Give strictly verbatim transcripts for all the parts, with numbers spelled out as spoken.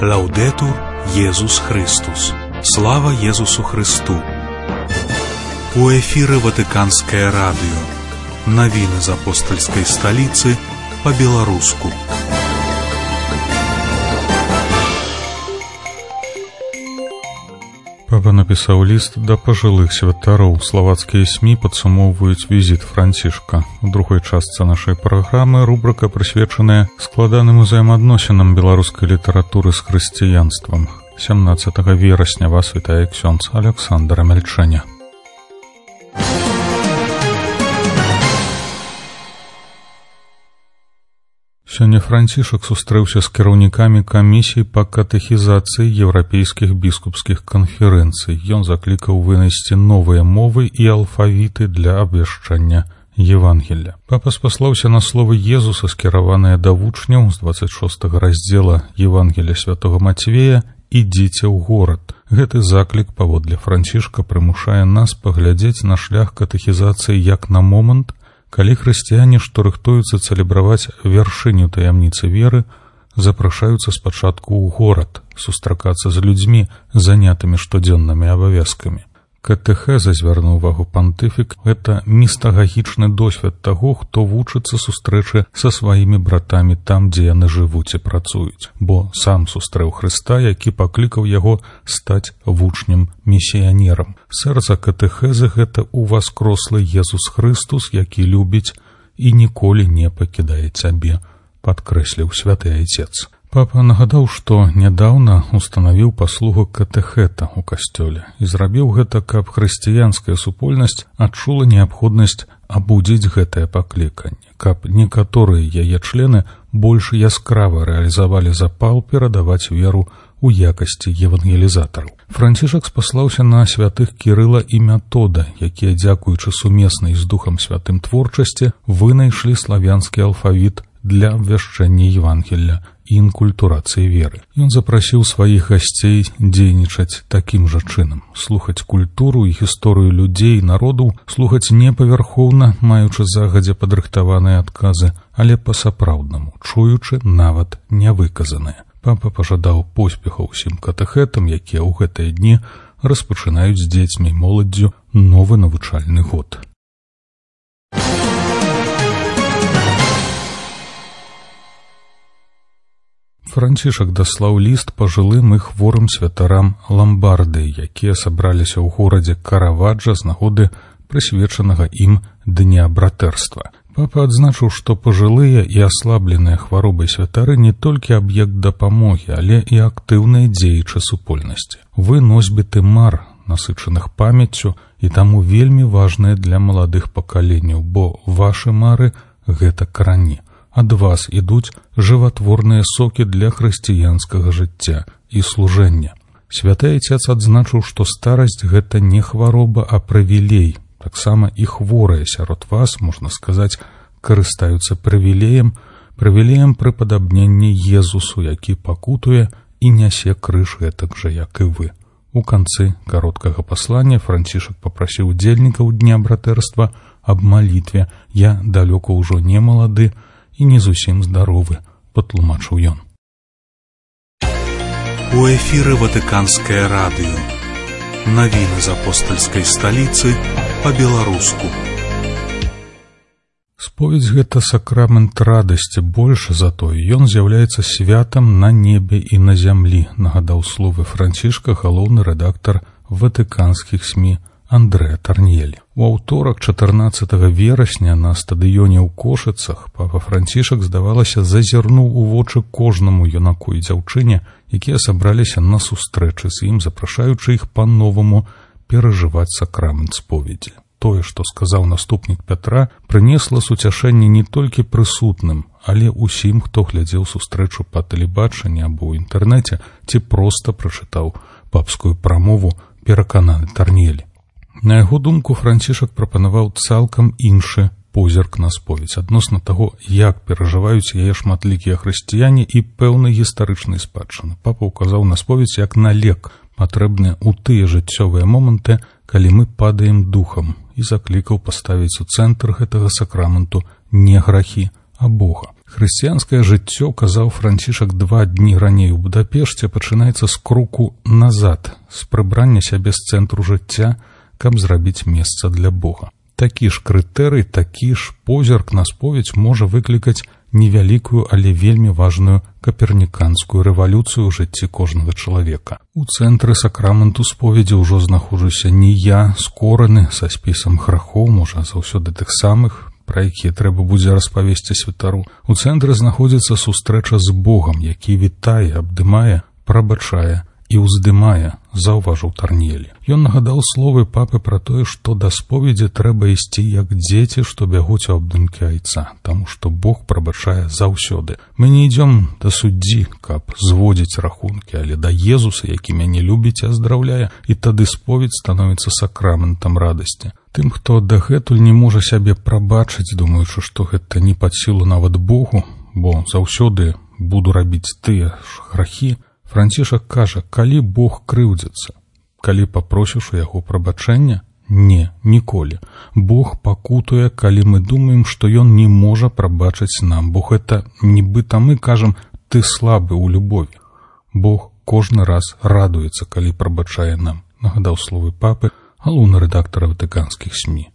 Лаўдэтур Езус Христус. Слава Езусу Христу. У эфіры Ватыканскае радыё. Навіны з апостальскай сталіцы па-беларуску. Папа напісаў ліст да пажылых святароў. Славацкія СМІ падсумоўваюць візіт Францішка. У другой частцы нашай праграмы рубрыка, прысвечаная складаным узаемаадносінам беларускай літаратуры з хрысціянствам. сямнаццатага верасня вас вітае ксёндз Аляксандр Амельчэня. Сёння Францішак сустрэўся з кіраўнікамі камісій па катэхізацыі еўрапейскіх біскупскіх канферэнцый. Ён заклікаў вынайсці новыя мовы і алфавіты для абвяшчання Евангелля. Папа спаслаўся на словы Езуса, скіраваныя да вучняў з дваццаць шостага раздзела Евангелля святого Мацвея: «Ідзіце ў горад». Гэты заклік, паводле Францішка, прымушае нас паглядзець на шлях катэхізацыі як на момант, калі хрысціяне, што рыхтуюцца цэлебраваць вяршыню таямніцы веры, запрашаюцца спачатку ў горад, сустракацца з людзьмі, занятымі штодзённымі абавязкамі. Катэхеза, звярнуў увагу пантыфік, гэта містагагічны досвед таго, хто вучыцца сустрэчы са сваімі братамі там, дзе яны жывуць і працуюць, бо сам сустрэў Хрыста, які паклікаў яго стаць вучнем місіянерам. Сэрца катэхезы — гэта уваскрослы Езус Христус, які любіць і ніколі не пакідае цябе, падкрэсліў святы айцец. Папа нагадаў, што нядаўна устанавіў паслугу катэхета ў касцёле і зрабіў гэта, каб хрысціянская супольнасць адчула неабходнасць абудзіць гэтае пакліканне, каб некаторыя яе члены больш яскрава рэалізавалі запал перадаваць веру у якасці евангелізатараў. Францішак спаслаўся на святых Кірыла і Метода, якія, дзякуючы сумеснай з Духам Святым творчасці, вынайшлі славянскі алфавіт для абвяшчэння Евангелля і інкультурацыі веры. Ён запрасіў сваіх гасцей дзейнічаць такім жа чынам, слухаць культуру і гісторыю людзей і народу, слухаць не павярхоўна, маючы загадзя падрыхтаваныя адказы, але па-сапраўднаму, чуючы нават нявыказаныя. Папа пажадаў поспехаў усім катэхетам, якія ў гэтыя дні распачынаюць з дзецьмі і моладдзю новы навучальны год. Францішак даслаў ліст пажылым і хворым святарам Ламбардыі, якія сабраліся ў горадзе Караваджа з нагоды прысвечанага ім дня братэрства. Папа адзначыў, што пажылыя і аслабленыя хваробай святары не толькі аб'ект дапамогі, але і актыўныя дзеячы супольнасці. Вы носьбіты мар, насычаных памяццю, і таму вельмі важныя для маладых пакаленняў, бо вашы мары — гэта карані. Ад вас ідуць жыватворныя сокі для хрысціянскага жыцця і служэння. Святы айцец адзначыў, што старасць — гэта не хвароба, а прывілей. Таксама і хворыя сярод вас, можна сказаць, карыстаюцца прывілеем, прывілеем прыпадабнення Езусу, які пакутуе і нясе крыж гэтак жа, як і вы. У канцы кароткага паслання Францішак папрасіў удзельнікаў дня братэрства аб малітве. Я далёка ўжо не малады і не зусім здаровы, патлумачыў ён. У эфіры Ватыканскае радыё. Навіны з апостальскай сталіцы па-беларуску. Споведзь — гэта сакрамент радасці, больш за тое, ён з'яўляецца святам на небе і на зямлі, нагадаў словы Францішка галоўны рэдактар ватыканскіх СМІ Андрэа Тарньелі. У аўторак, чатырнаццатага верасня, на стадыёне ў Кошыцах папа Францішак, здавалася, зазірнуў у вочы кожнаму юнаку і дзяўчыне, якія сабраліся на сустрэчы з ім, запрашаючы іх па-новаму перажываць сакрамент споведзі. Тое, што сказаў наступнік Пятра, прынесла суцяшэнне не толькі прысутным, але ўсім, хто глядзеў сустрэчу па тэлебачанні або ў інтэрнэце ці проста прачытаў папскую прамову, перакананы Тарньелі. На яго думку, Францішак прапанаваў цалкам іншы позірк на споведь адносна таго, як перажываюць яе шматлікія хрысціяне і пэўнай гістарычнай спадчыны. Папа ўказаў на споведь як на лек, патрэбны ў тыя жыццёвыя моманты, калі мы падаем духам, і заклікаў паставіць у цэнтр гэтага сакраменту не грахі, а Бога. Хрысціянскае жыццё, казаў Францішак два дні раней у Будапешце, пачынаецца з кроку назад, з прыбрання сябе з цэнтру жыцця, каб зрабіць месца для Бога. Такі ж крытэрый, такі ж позірк на споведь можа выклікаць невялікую, але вельмі важную каперніканскую рэвалюцыю ў жыцці кожнага чалавека. У цэнтры сакраменту споведзі ўжо знаходжуся не я, скораны са спісам грахоў, можа, заўсёды тых самых, пра якія трэба будзе распавесці святару. У цэнтры знаходзіцца сустрэча з Богам, які вітае, абдымае, прабачае і ўздымае, заўважыў Тарньелі. Ён нагадаў словы папы пра тое, што да споведзі трэба ісці як дзеці, што бягуць у абдымкі айца, таму што Бог прабачае заўсёды. Мы не ідзём да суддзі, каб зводзіць рахункі, але да Езуса, які мяне любіць і аздраўляе, і тады споведь становіцца сакраментам радасці. Тым, хто дагэтуль не можа сябе прабачыць, думаючы, што гэта не пад сілу нават Богу, бо заўсёды буду рабіць тыя ж грахі, Францішак кажа, калі Бог крыўдзіцца, калі папросіш у яго прабачэння? Не, ніколі. Бог пакутуе, калі мы думаем, што ён не можа прабачыць нам. Бог гэта нібыта мы кажам, ты слабы ў любові. Бог кожны раз радуецца, калі прабачае нам, нагадаў словы папы, галоўны рэдактар ватыканскіх СМІ.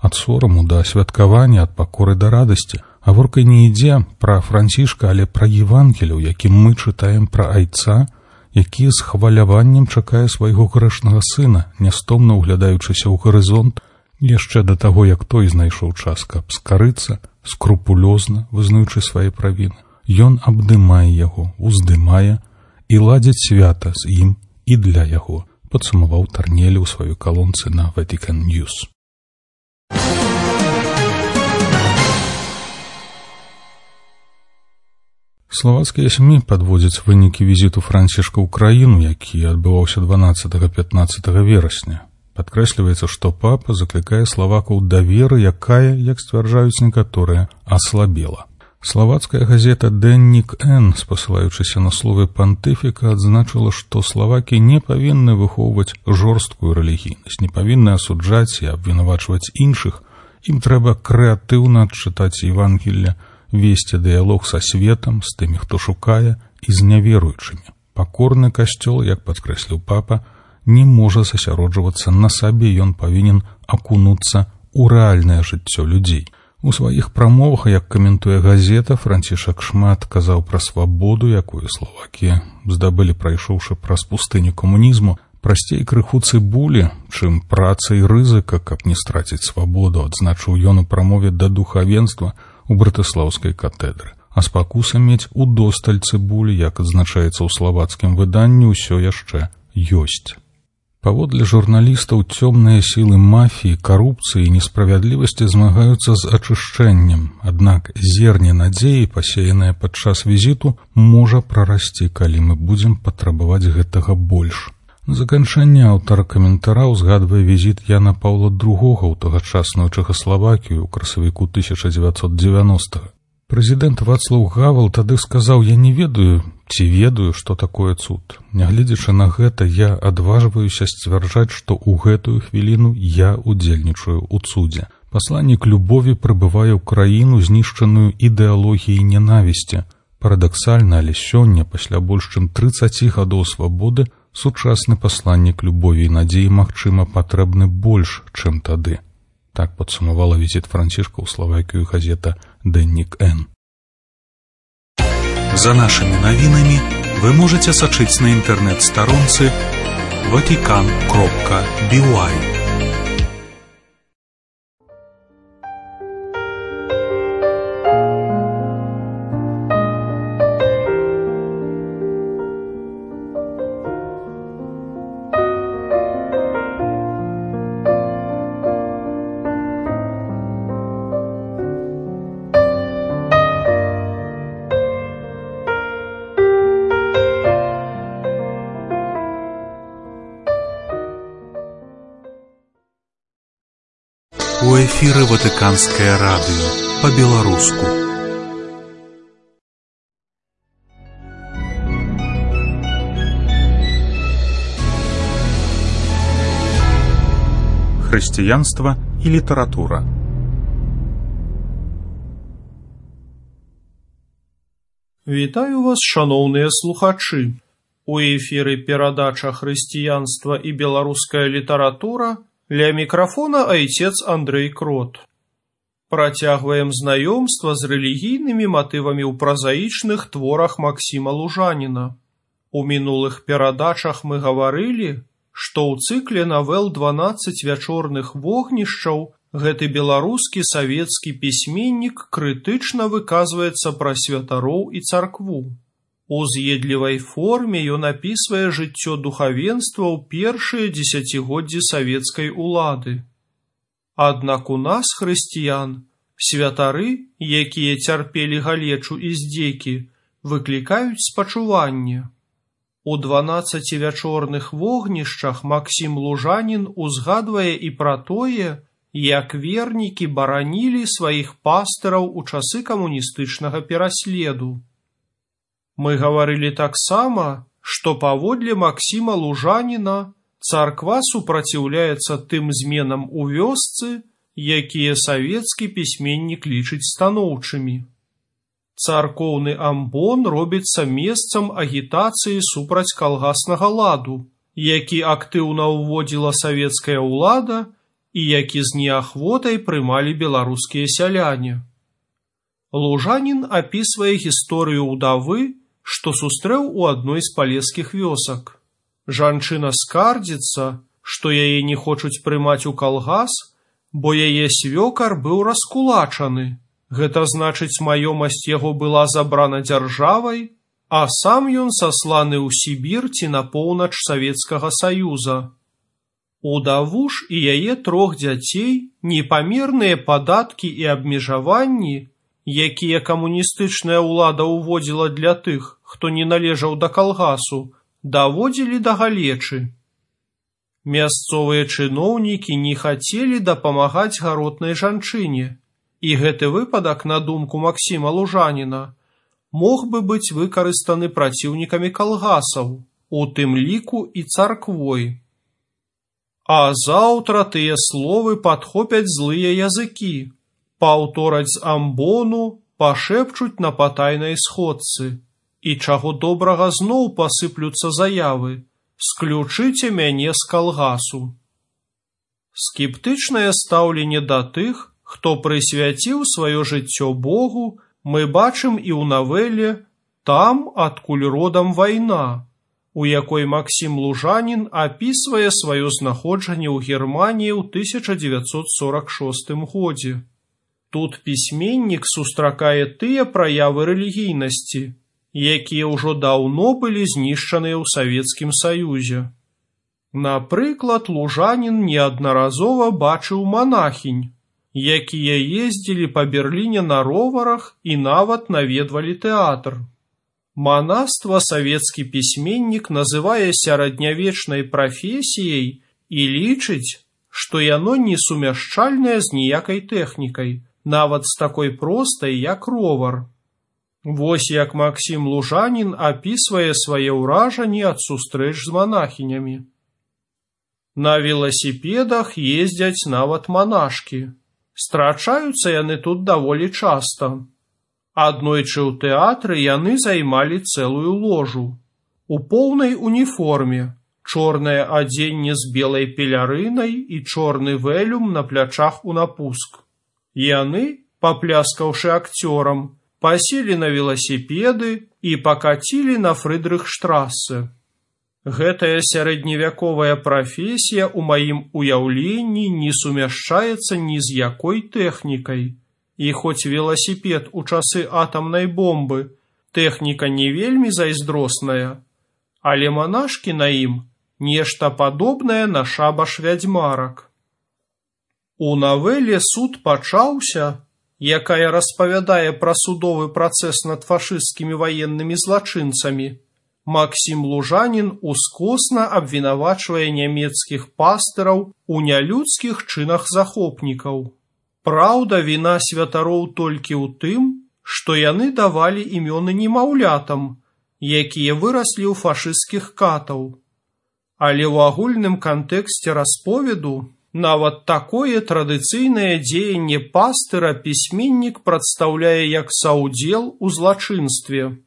Ад сораму да святкавання, ад пакоры да радасці. Гаворка не ідзе пра Францішка, але пра Евангелію, якім мы чытаем пра айца, які з хваляваннем чакае свайго грэшнага сына, нястомна ўглядаючыся ў гарызонт, яшчэ да таго, як той знайшоў час, каб скарыцца, скрупулёзна вызнаючы свае правіны. Ён абдымае яго, уздымае і ладзіць свята з ім і для яго, падсумаваў Тарньелі ў сваёй калонцы на Vatican News. Славацкія СМІ падводзяць вынікі візіту Францішка ў краіну, які адбываўся дванаццатага-пятнаццатага верасня. Падкрэсліваецца, што папа заклікае славакаў да веры, якая, як сцвярджаюць некаторыя, аслабела. Славацкая газета «Деннік Н», спасылаючыся на словы пантыфіка, адзначыла, што славакі не павінны выхоўваць жорсткую рэлігійнасць, не павінны асуджаць і абвінавачваць іншых. Ім трэба крэатыўна адчытаць Евангелле, весці дыялог са светам, з тымі, хто шукае, і з няверуючымі. Пакорны касцёл, як падкрэсліў папа, не можа засяроджвацца на сабе, ён павінен акунуцца ў рэальнае жыццё людзей. У сваіх прамовах, як каментуе газета, Францішак шмат казаў пра свабоду, якую славакі здабылі, прайшоўшы праз пустыню камунізму, прасцей крыху цыбулі, чым праца і рызыка, каб не страціць свабоду, адзначыў ён у прамове да духавенства у братыслаўскай катэдры. А спакуса мець удосталь цыбулі, як адзначаецца ў славацкім выданні, усё яшчэ ёсць. Паводле журналістаў, цёмныя сілы мафіі, карупцыі і несправядлівасці змагаюцца з ачышчэннем, аднак зерне надзеі, пасеянае падчас візіту, можа прарасці, калі мы будзем патрабаваць гэтага больш. На заканчэнне аўтар каментара ўзгадвае візіт Яна Паўла другога ў тагачасную Чэхаславакію ў красавіку тысяча дзевяцьсот дзевяностага. Прэзідэнт Вацлаў Гавел тады сказаў, я не ведаю, ці ведаю, што такое цуд. Нягледзячы на гэта, я адважваюся сцвярджаць, што ў гэтую хвіліну я удзельнічаю ў цудзе. Пасланнік любові прыбывае ў краіну, знішчаную ідэалогіяй ненавісці. Парадаксальна, але сёння, пасля больш чым трыццаці гадоў свабоды, сучасны пасланнік любові і надзеі, магчыма, патрэбны больш, чым тады. Так падсумавала візіт Францішка ў Славакію газета «Деннік Н». За нашими навінамі вы можете сачыць на інтэрнэт-старонцы ватикан кропка би уай. У эфіры Ватыканскае радыё па-беларуску. Хрысціянства і літаратура. Вітаю вас, шаноўныя слухачы. У эфіры перадача «Хрысціянства і беларуская літаратура», ля мікрафона айцец Андрэй Крот. Працягваем знаёмства з рэлігійнымі матывамі ў празаічных творах Максіма Лужаніна. У мінулых перадачах мы гаварылі, што ў цыкле навел дванаццаць вячорных вогнішчаў гэты беларускі савецкі пісьменнік крытычна выказваецца пра святароў і царкву. У з'едлівай форме ён апісвае жыццё духавенства ў першыя дзесяцігоддзі савецкай улады. Аднак у нас, хрысціян, святары, якія цярпелі галечу і здзекі, выклікаюць спачуванне. У дванаццаці вячорных вогнішчах Максім Лужанін узгадвае і пра тое, як вернікі баранілі сваіх пастыраў у часы камуністычнага пераследу. Мы гаварылі таксама, што паводле Максіма Лужаніна царква супраціўляецца тым зменам у вёсцы, якія савецкі пісьменнік лічыць станоўчымі. Царкоўны амбон робіцца месцам агітацыі супраць калгаснага ладу, які актыўна ўводзіла савецкая ўлада і які з неахвотай прымалі беларускія сяляне. Лужанін апісвае гісторыю ўдавы, што сустрэў у адной з палескіх вёсак. Жанчына скардзіцца, што яе не хочуць прымаць у калгас, бо яе свёкар быў раскулачаны. Гэта значыць, маёмасць яго была забрана дзяржавай, а сам ён сасланы ў Сібір ці на поўнач Савецкага Саюза. Удаву ж і яе трох дзяцей непамерныя падаткі і абмежаванні, якія камуністычная ўлада ўводзіла для тых, хто не належаў да калгасу, даводзілі да галечы. Мясцовыя чыноўнікі не хацелі дапамагаць гаротнай жанчыне, і гэты выпадак, на думку Максіма Лужаніна, мог бы быць выкарыстаны праціўнікамі калгасаў, у тым ліку і царквой. А заўтра тыя словы падхопяць злыя языкі, паўтораць з амбону, пашэпчуць на патайнай сходцы, і чаго добрага зноў пасыплюцца заявы: «Сключыце мяне з калгасу». Скептычнае стаўленне да тых, хто прысвяціў сваё жыццё Богу, мы бачым і ў навеле «Там, адкуль родам вайна», у якой Максім Лужанін апісвае сваё знаходжанне ў Германіі ў тысяча дзевяцьсот сорак шостым годзе. Тут пісьменнік сустракае тыя праявы рэлігійнасці, якія ўжо даўно былі знішчаныя ў Савецкім Саюзе. Напрыклад, Лужанін неаднаразова бачыў манахінь, якія ездзілі па Берліне на роварах і нават наведвалі тэатр. Манаства савецкі пісьменнік называе сярэднявечнай прафесіяй і лічыць, што яно несумяшчальнае з ніякай тэхнікай, нават з такой простай, як ровар. Вось як Максім Лужанін апісвае свае ўражанні ад сустрэч з манахінямі. На веласіпедах ездзяць нават манашкі. Страчаюцца яны тут даволі часта. Аднойчы ў тэатры яны займалі цэлую ложу. У поўнай уніформе, чорнае адзенне з белай пелярынай і чорны вэлюм на плячах у напуск. Яны, папляскаўшы акцёрам, паселі на веласіпеды і пакацілі на Фрыдрыхштрассе. Гэтая сярэдневяковая прафесія ў маім уяўленні не сумяшчаецца ні з якой тэхнікай. І хоць веласіпед у часы атамнай бомбы тэхніка не вельмі зайздросная, але манашкі на ім нешта падобнае на шабаш вядзьмарак. У навеле «Суд пачаўся», якая распавядае пра судовы працэс над фашысцкімі ваеннымі злачынцамі, Максім Лужанін ускосна абвінавачвае нямецкіх пастыраў у нялюдскіх чынах захопнікаў. Праўда, віна святароў толькі ў тым, што яны давалі імёны немаўлятам, якія выраслі ў фашысцкіх катаў. Але ў агульным кантэксце расповеду нават такое традыцыйнае дзеянне пастыра пісьменнік прадстаўляе як саўдзел у злачынстве,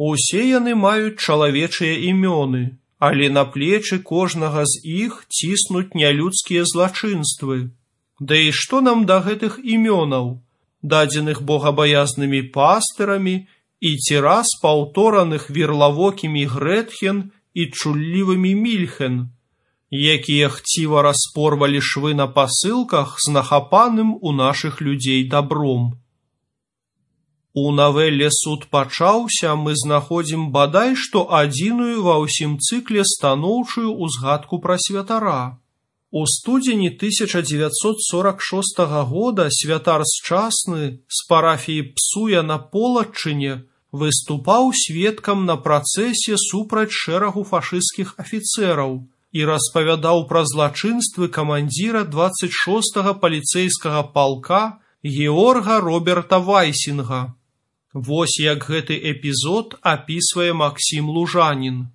Усе яны маюць чалавечыя імёны, але на плечы кожнага з іх ціснуць нялюдскія злачынствы. Да і што нам да гэтых імёнаў, дадзеных богабаязнымі пастырамі і ці раз паўтораных верлавокімі Грэтхен і чуллівымі Мільхен, якія хціва распорвалі швы на пасылках з нахапаным у нашых людзей дабром. У навеле «Суд пачаўся» мы знаходзім бадай што адзіную ва ўсім цыкле станоўчую ўзгадку пра святара. У студзені тысяча дзевяцьсот сорак шостага года святар Счасны з парафіі Псуя на Полаччыне выступаў сведкам на працэсе супраць шэрагу фашысцкіх афіцэраў і распавядаў пра злачынствы камандзіра дваццаць шостага паліцэйскага палка Георга Роберта Вайсінга. Вось як гэты эпізод апісвае Максім Лужанін.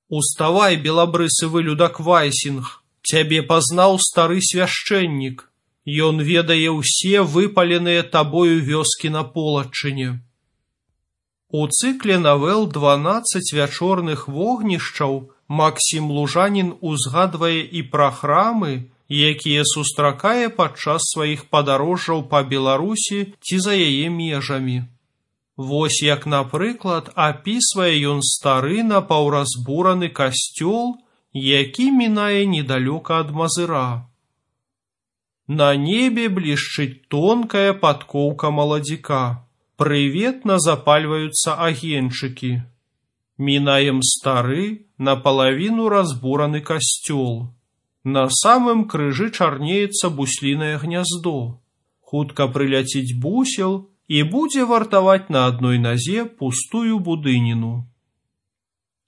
«Уставай, белабрысы вылюдак Вайсінг, цябе пазнаў стары свяшчэннік. Ён ведае ўсе выпаленыя табою вёскі на Полаччыне». У цыкле навел «дванаццаць вячорных вогнішчаў» Максім Лужанін узгадвае і пра храмы, якія сустракае падчас сваіх падарожжаў па Беларусі ці за яе межамі. Вось як, напрыклад, апісвае ён стары напаўразбураны касцёл, які мінае недалёка ад Мазыра. На небе блішчыць тонкая падкоўка маладзіка. Прыветна запальваюцца агеньчыкі. Мінаем стары, напалавіну разбураны касцёл. На самым крыжы чарнеецца буслінае гняздо. Хутка прыляціць бусел і будзе вартаваць на адной назе пустую будыніну.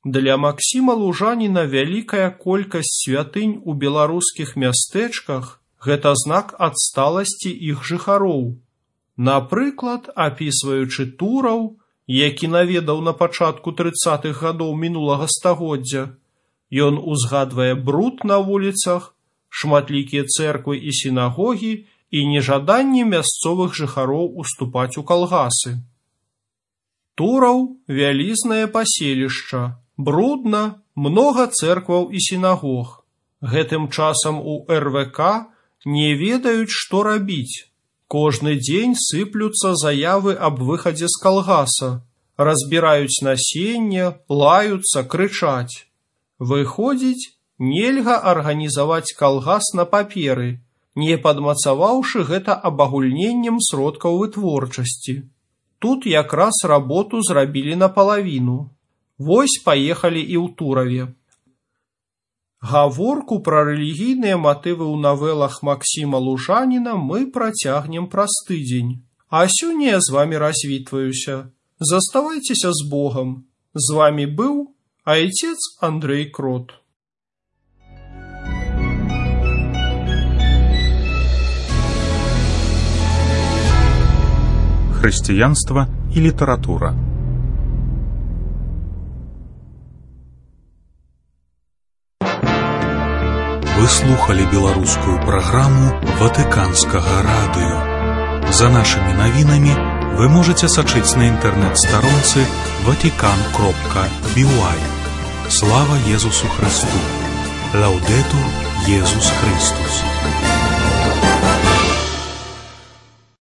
Для Максіма Лужаніна вялікая колькасць святынь у беларускіх мястэчках – гэта знак адсталасці іх жыхароў. Напрыклад, апісваючы Тураў, які наведаў на пачатку трыццатых гадоў мінулага стагоддзя, ён узгадвае бруд на вуліцах, шматлікія цэрквы і сінагогі і нежаданне мясцовых жыхароў уступаць у калгасы. Тураў – вялізнае паселішча, брудна, многа цэркваў і сінагог. Гэтым часам у эр вэ ка не ведаюць, што рабіць. Кожны дзень сыплюцца заявы аб выхадзе з калгаса, разбіраюць насенне, лаюцца, крычаць. Выходзіць, нельга арганізаваць калгас на паперы, не падмацаваўшы гэта абагульненнем сродкаў вытворчасці. Тут якраз работу зрабілі напалавіну. Вось паехалі і ў Тураве. Гаворку пра рэлігійныя матывы ў навелах Максіма Лужаніна мы працягнем праз тыдзень. А сёння я з вамі развітваюся. Заставайцеся з Богам. З вамі быў Отец Андрей Крот. Христианство и литература. Вы слухали беларускую праграму Ватыканскага радыё. За нашими навінамі вы можете сачыць на інтэрнэт-старонцы ватикан кропка би уай. Слава Езусу Христу! Лаудетур Езус Христус!